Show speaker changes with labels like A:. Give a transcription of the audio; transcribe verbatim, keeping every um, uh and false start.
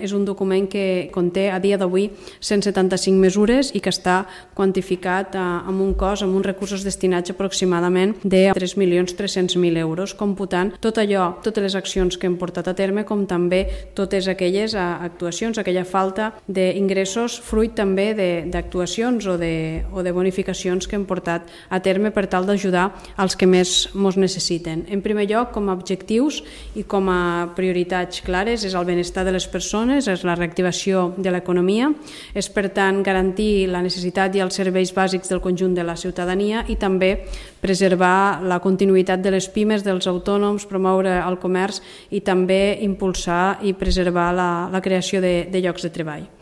A: És un document que conté a dia d'avui cent setanta-cinc mesures i que està quantificat amb un cost, amb uns recursos destinats aproximadament de tres milions tres-cents mil euros, computant tot allò, totes les accions que hem portat a terme, com també totes aquelles actuacions, aquella falta d'ingressos, fruit també d'actuacions o de, o de bonificacions que hem portat a terme per tal d'ajudar als que més ens necessiten. En primer lloc, com a objectius i com a prioritats clares, és el benestar de les persones, és la reactivació de l'economia, és per tant garantir la necessitat i els serveis bàsics del conjunt de la ciutadania i també preservar la continuïtat de les pimes, dels autònoms, promoure el comerç i també impulsar i preservar la, la creació de, de llocs de treball.